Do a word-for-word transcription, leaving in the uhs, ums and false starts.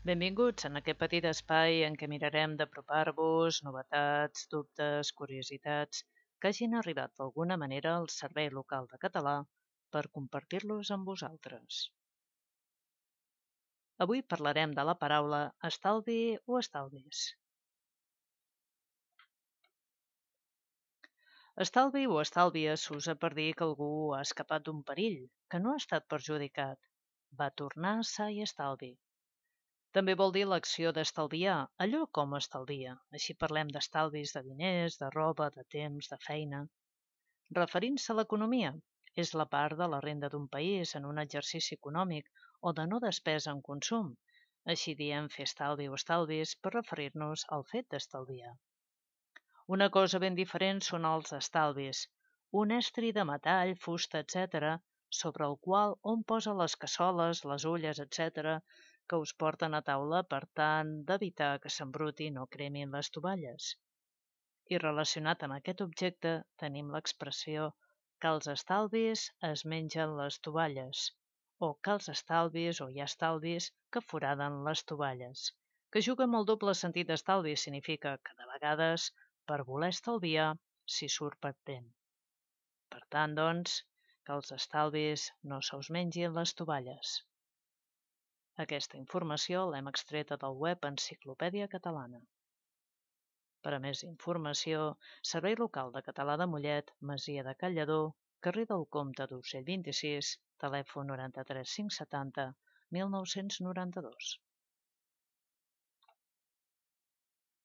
Benvinguts en aquest petit espai en què mirarem d'apropar-vos novetats, dubtes, curiositats que hagin arribat d'alguna manera al Servei Local de Català per compartir-los amb vosaltres. Avui parlarem de la paraula estalvi o estalvis. Estalvi o estalvies s'usa per dir que algú ha escapat d'un perill, que no ha estat perjudicat. Va tornar sa i estalvi. També vol dir l'acció d'estalviar, allò com estalvia. Així parlem d'estalvis de diners, de roba, de temps, de feina. Referint-se a l'economia, és la part de la renda d'un país en un exercici econòmic o de no despesa en consum. Així diem fer estalvi o estalvis per referir-nos al fet d'estalviar. Una cosa ben diferent són els estalvis, un estri de metall, fusta, etcètera, sobre el qual hom posa les cassoles, les olles, etcètera, que us porten a taula per tant d'evitar que s'embrutin o cremin les tovalles. I relacionat amb aquest objecte tenim l'expressió que els estalvis es mengen les tovalles o que els estalvis o hi ha estalvis que foraden les tovalles, que juga amb el doble sentit d'estalvi significa que de vegades per voler estalviar s'hi surt perdent. Per tant, doncs, que els estalvis no se us mengin les tovalles. Aquesta informació l'hem extreta del web Enciclopèdia Catalana. Per a més informació, Servei Local de Català de Mollet, Masia de Cal Lledó, carrer del Comte d'Urgell vint-i-sis, telèfon noranta-tres cinc setanta mil nou-cents noranta-dos.